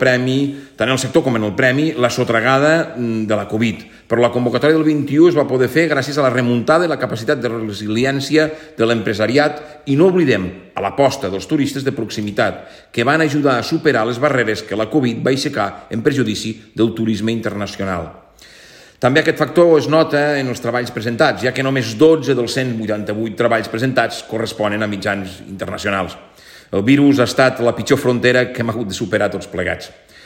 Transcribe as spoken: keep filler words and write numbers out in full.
premi, tant en el sector com en el premi, la sotragada de la Covid. Però la convocatòria del vint-i-u es va poder fer gràcies a la remuntada i la capacitat de resiliència de l'empresariat i no oblidem a l'aposta dels turistes de proximitat, que van ajudar a superar les barreres que la Covid va aixecar en perjudici del turisme internacional. També aquest factor es nota en els treballs presentats, ja que només dotze dels cent vuitanta-vuit treballs presentats corresponen a mitjans internacionals. El virus ha estat la pitjor frontera que hem hagut de superar tots plegats.